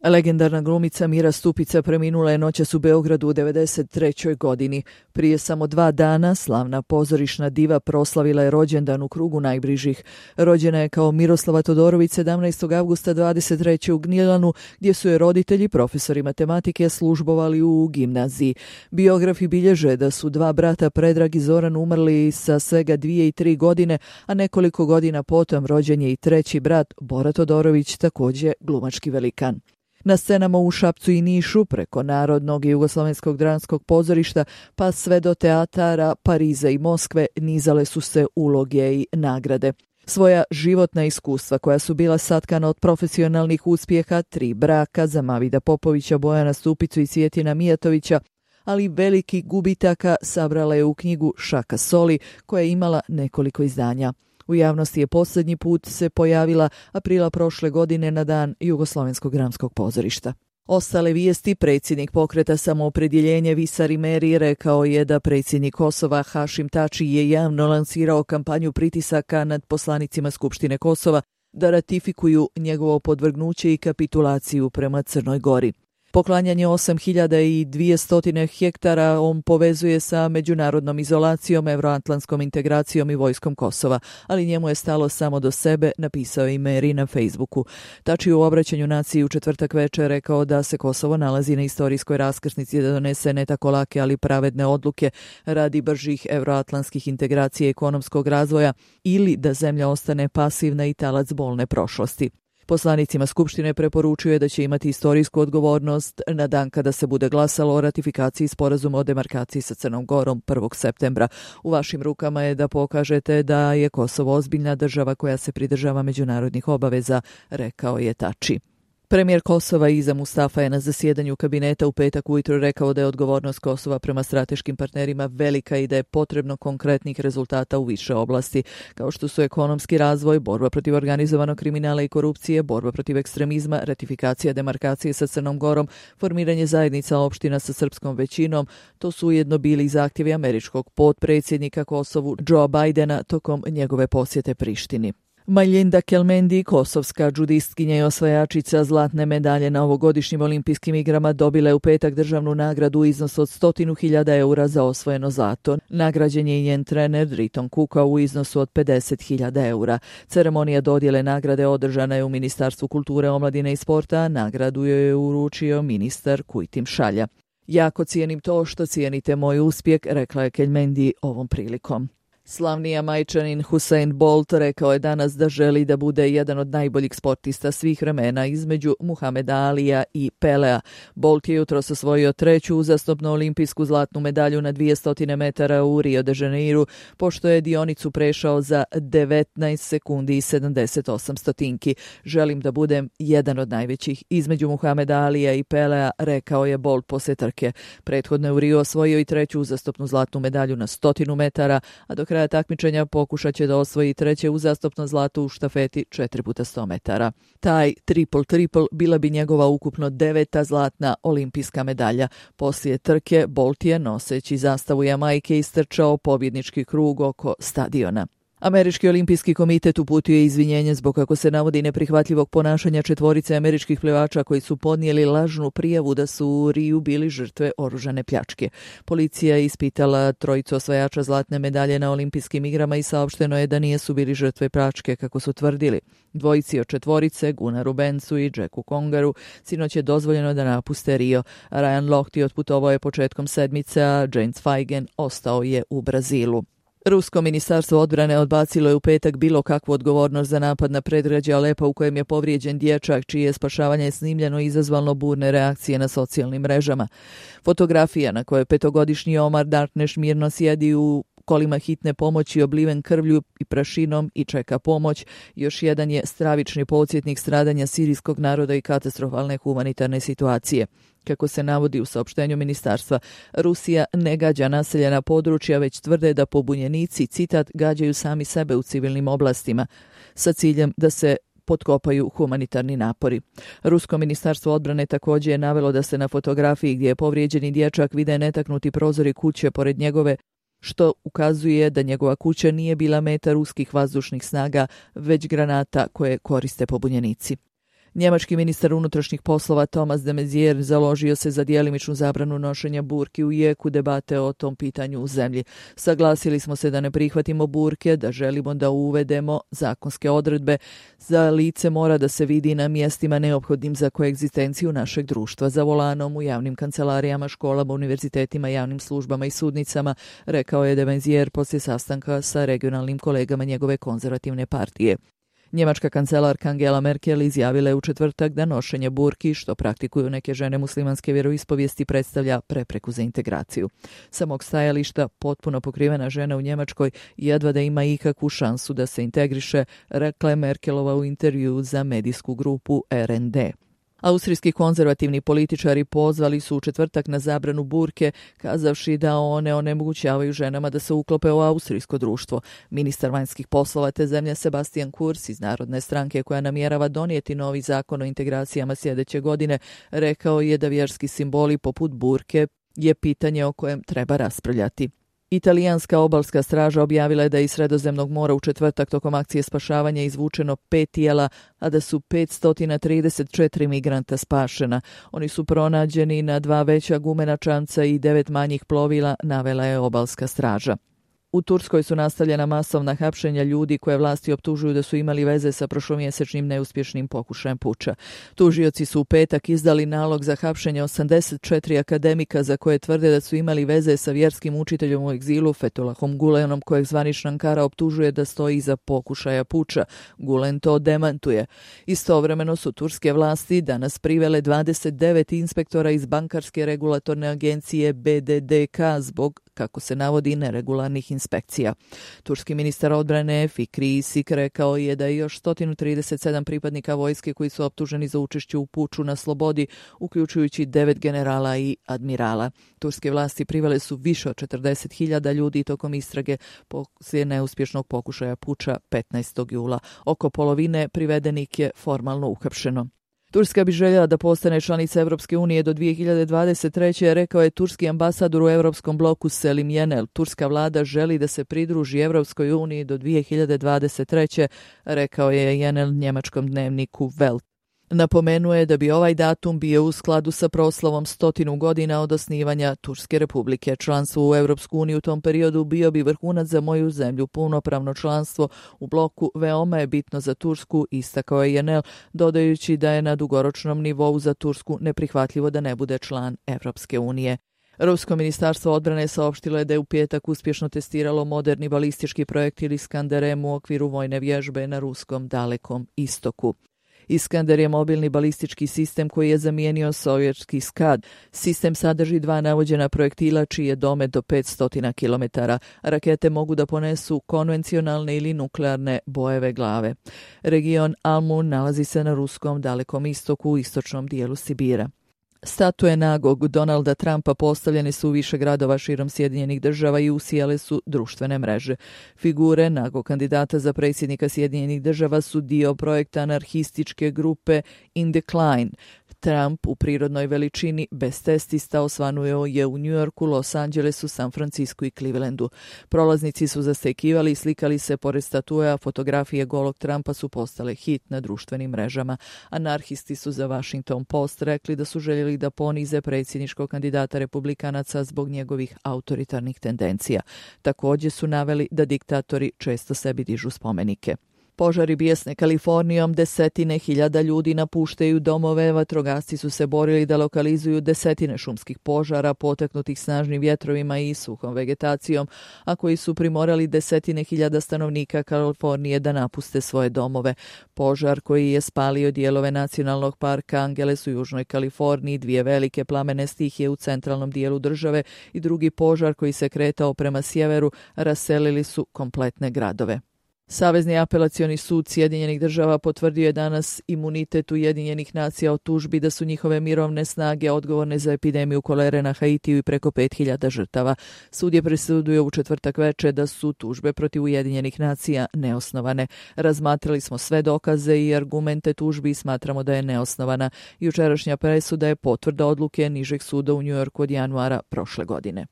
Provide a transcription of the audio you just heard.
Legendarna glumica Mira Stupica preminula je noćas u Beogradu u 93. godini. Prije samo 2 dana slavna pozorišna diva proslavila je rođendan u krugu najbližih. Rođena je kao Miroslava Todorović 17. avgusta 23. u Gnjilanu, gdje su je roditelji, profesori matematike, službovali u gimnaziji. Biografi bilježe da su 2 brata Predrag i Zoran umrli sa svega 2 i 3 godine, a nekoliko godina potom rođen je i 3. brat Bora Todorović, također glumački velikan. Na scenama u Šapcu i Nišu, preko Narodnog i Jugoslovenskog dramskog pozorišta, pa sve do teatara Pariza i Moskve, nizale su se uloge i nagrade. Svoja životna iskustva, koja su bila satkana od profesionalnih uspjeha, 3 braka za Mavida Popovića, Bojana Stupicu i Cvjetina Mijatovića, ali veliki gubitaka sabrala je u knjigu Šaka soli, koja je imala nekoliko izdanja. U javnosti je posljednji put se pojavila aprila prošle godine na dan Jugoslovenskog dramskog pozorišta. Ostale vijesti: predsjednik pokreta Samoopredjeljenje Visar Imeri rekao je da predsjednik Kosova Hašim Tači je javno lansirao kampanju pritisaka nad poslanicima Skupštine Kosova da ratifikuju njegovo podvrgnuće i kapitulaciju prema Crnoj Gori. Poklanjanje 8200 hektara on povezuje sa međunarodnom izolacijom, euroatlantskom integracijom i vojskom Kosova, ali njemu je stalo samo do sebe, napisao je Imeri na Facebooku. Tači u obraćanju naciji u četvrtak večer rekao da se Kosovo nalazi na istorijskoj raskrsnici da donese ne tako lake, ali pravedne odluke radi bržih euroatlantskih integracija i ekonomskog razvoja, ili da zemlja ostane pasivna i talac bolne prošlosti. Poslanicima Skupštine preporučuje da će imati istorijsku odgovornost na dan kada se bude glasalo o ratifikaciji sporazuma o demarkaciji sa Crnom Gorom 1. septembra. U vašim rukama je da pokažete da je Kosovo ozbiljna država koja se pridržava međunarodnih obaveza, rekao je Tači. Premijer Kosova Iza Mustafa je na zasjedanju kabineta u petak ujutro rekao da je odgovornost Kosova prema strateškim partnerima velika i da je potrebno konkretnih rezultata u više oblasti, kao što su ekonomski razvoj, borba protiv organizovanog kriminala i korupcije, borba protiv ekstremizma, ratifikacija demarkacije sa Crnom Gorom, formiranje zajednica opština sa srpskom većinom. To su ujedno bili i zahtjevi američkog potpredsjednika Kosovu Joea Bidena tokom njegove posjete Prištini. Majlinda Kelmendi, kosovska džudistkinja i osvajačica zlatne medalje na ovogodišnjim olimpijskim igrama, dobila je u petak državnu nagradu u iznosu od 100.000 eura za osvojeno zlato. Nagrađen je i njen trener Driton Kuka u iznosu od 50.000 eura. Ceremonija dodjele nagrade održana je u Ministarstvu kulture, omladine i sporta, a nagradu joj je uručio ministar Kujtim Šalja. Jako cijenim to što cijenite moj uspjeh, rekla je Kelmendi ovom prilikom. Slavni Jamajčanin Usain Bolt rekao je danas da želi da bude jedan od najboljih sportista svih vremena između Muhameda Alija i Pelea. Bolt je jutros osvojio 3. uzastopnu olimpijsku zlatnu medalju na 200 metara u Rio de Janeiru, pošto je dionicu prešao za 19 sekundi i 78 stotinki. Želim da budem jedan od najvećih između Muhameda Alija i Pelea, rekao je Bolt poslije trke. Prethodno je u Rio osvojio i 3. uzastopnu zlatnu medalju na 100 metara, a do kraja takmičenja pokušat će da osvoji 3. uzastopno zlato u štafeti 4x100 metara. Taj triple bila bi njegova ukupno 9. zlatna olimpijska medalja. Poslije trke Bolt je, noseći zastavu Jamajke, istrčao pobjednički krug oko stadiona. Američki olimpijski komitet uputio je izvinjenje zbog, kako se navodi, neprihvatljivog ponašanja 4 američkih plivača koji su podnijeli lažnu prijavu da su u Riju bili žrtve oružane pljačke. Policija je ispitala 3 osvajača zlatne medalje na olimpijskim igrama i saopšteno je da nisu bili žrtve pljačke, kako su tvrdili. 2 od 4, Gunaru Bencu i Jacku Congaru, sinoć je dozvoljeno da napuste Rio. Ryan Lochte otputovao je početkom sedmice, a James Feigen ostao je u Brazilu. Rusko ministarstvo odbrane odbacilo je u petak bilo kakvu odgovornost za napad na predgrađe Alepa u kojem je povrijeđen dječak, čije spašavanje snimljeno i izazvalo burne reakcije na socijalnim mrežama. Fotografija na kojoj 5-godišnji Omar Darkneš mirno sjedi u kolima hitne pomoći obliven krvlju i prašinom i čeka pomoć, još jedan je stravični podsjetnik stradanja sirijskog naroda i katastrofalne humanitarne situacije. Kako se navodi u saopštenju ministarstva, Rusija ne gađa naseljena područja, već tvrde da pobunjenici, citat, gađaju sami sebe u civilnim oblastima, sa ciljem da se potkopaju humanitarni napori. Rusko ministarstvo odbrane također je navelo da se na fotografiji gdje je povrijeđeni dječak vide netaknuti prozori kuće pored njegove, što ukazuje da njegova kuća nije bila meta ruskih vazdušnih snaga, već granata koje koriste pobunjenici. Njemački ministar unutrašnjih poslova Thomas de Maizière založio se za djelimičnu zabranu nošenja burki u jeku debate o tom pitanju u zemlji. Saglasili smo se da ne prihvatimo burke, da želimo da uvedemo zakonske odredbe. Za lice mora da se vidi na mjestima neophodnim za koegzistenciju našeg društva, za volanom, u javnim kancelarijama, školama, univerzitetima, javnim službama i sudnicama, rekao je de Maizière poslije sastanka sa regionalnim kolegama njegove konzervativne partije. Njemačka kancelarka Angela Merkel izjavila je u četvrtak da nošenje burki, što praktikuju neke žene muslimanske vjeroispovijesti, predstavlja prepreku za integraciju. Sa mog stajališta, potpuno pokrivena žena u Njemačkoj jedva da ima ikakvu šansu da se integriše, rekla je Merkelova u intervjuu za medijsku grupu RND. Austrijski konzervativni političari pozvali su u četvrtak na zabranu burke, kazavši da one onemogućavaju ženama da se uklope u austrijsko društvo. Ministar vanjskih poslova te zemlje Sebastian Kurz iz Narodne stranke, koja namjerava donijeti novi zakon o integracijama sljedeće godine, rekao je da vjerski simboli poput burke je pitanje o kojem treba raspravljati. Italijanska obalska straža objavila je da je iz Sredozemnog mora u četvrtak tokom akcije spašavanja izvučeno 5 tijela, a da su 534 migranta spašena. Oni su pronađeni na 2 veća gumena čamca i 9 manjih plovila, navela je obalska straža. U Turskoj su nastavljena masovna hapšenja ljudi koje vlasti optužuju da su imali veze sa prošlomjesečnim neuspješnim pokušajem puča. Tužioci su u petak izdali nalog za hapšenje 84 akademika za koje tvrde da su imali veze sa vjerskim učiteljom u egzilu Fethullahom Gulenom, kojeg zvanična Ankara optužuje da stoji iza pokušaja puča. Gulen to demantuje. Istovremeno su turske vlasti danas privele 29 inspektora iz bankarske regulatorne agencije BDDK zbog, kako se navodi, neregularnih inspekcija. Turski ministar odbrane Fikri Isik rekao je da je još 137 pripadnika vojske koji su optuženi za učešće u puču na slobodi, uključujući 9 generala i admirala. Turske vlasti privele su više od 40.000 ljudi tokom istrage poslije neuspješnog pokušaja puča 15. jula. Oko polovine privedenih je formalno uhapšeno. Turska bi željela da postane članica Europske unije do 2023. rekao je turski ambasador u Europskom bloku Selim Yenel. Turska vlada želi da se pridruži Europskoj uniji do 2023. rekao je Yenel njemačkom dnevniku Welt. Napomenuo je da bi ovaj datum bio u skladu sa proslavom 100 godina od osnivanja Turske republike. Članstvo u Europsku uniju u tom periodu bio bi vrhunac za moju zemlju. Punopravno članstvo u bloku veoma je bitno za Tursku, istakao je Yenel, dodajući da je na dugoročnom nivou za Tursku neprihvatljivo da ne bude član Europske unije. Rusko ministarstvo odbrane saopštilo je da je u petak uspješno testiralo moderni balistički projektil Iskander-M u okviru vojne vježbe na ruskom Dalekom istoku. Iskander je mobilni balistički sistem koji je zamijenio sovjetski Scad. Sistem sadrži 2 navođena projektila čiji je domet do 500 km. Rakete mogu da ponesu konvencionalne ili nuklearne bojeve glave. Region Almun nalazi se na ruskom Dalekom istoku u istočnom dijelu Sibira. Statue nagog Donalda Trumpa postavljene su u više gradova širom Sjedinjenih država i usijale su društvene mreže. Figure nagog kandidata za predsjednika Sjedinjenih država su dio projekta anarhističke grupe In Decline. Trump u prirodnoj veličini bez testista osvanuo je u New Yorku, Los Angelesu, San Francisku i Clevelandu. Prolaznici su zastekivali i slikali se pored statue, a fotografije golog Trumpa su postale hit na društvenim mrežama. Anarhisti su za Washington Post rekli da su željeli da ponize predsjedničkog kandidata republikanaca zbog njegovih autoritarnih tendencija. Također su naveli da diktatori često sebi dižu spomenike. Požari bijesne Kalifornijom, 10.000 ljudi napuštaju domove, vatrogasci su se borili da lokalizuju 10 šumskih požara potaknutih snažnim vjetrovima i suhom vegetacijom, a koji su primorali 10.000 stanovnika Kalifornije da napuste svoje domove. Požar koji je spalio dijelove nacionalnog parka Angeles u južnoj Kaliforniji, 2 velike plamene stihije u centralnom dijelu države i drugi požar koji se kretao prema sjeveru raselili su kompletne gradove. Savezni apelacioni sud Sjedinjenih država potvrdio je danas imunitet Ujedinjenih nacija o tužbi da su njihove mirovne snage odgovorne za epidemiju kolere na Haitiju i preko 5.000 žrtava. Sud je presudio u četvrtak večer da su tužbe protiv Ujedinjenih nacija neosnovane. Razmatrali smo sve dokaze i argumente tužbi i smatramo da je neosnovana. Jučerašnja presuda je potvrda odluke nižeg suda u New Yorku od januara prošle godine.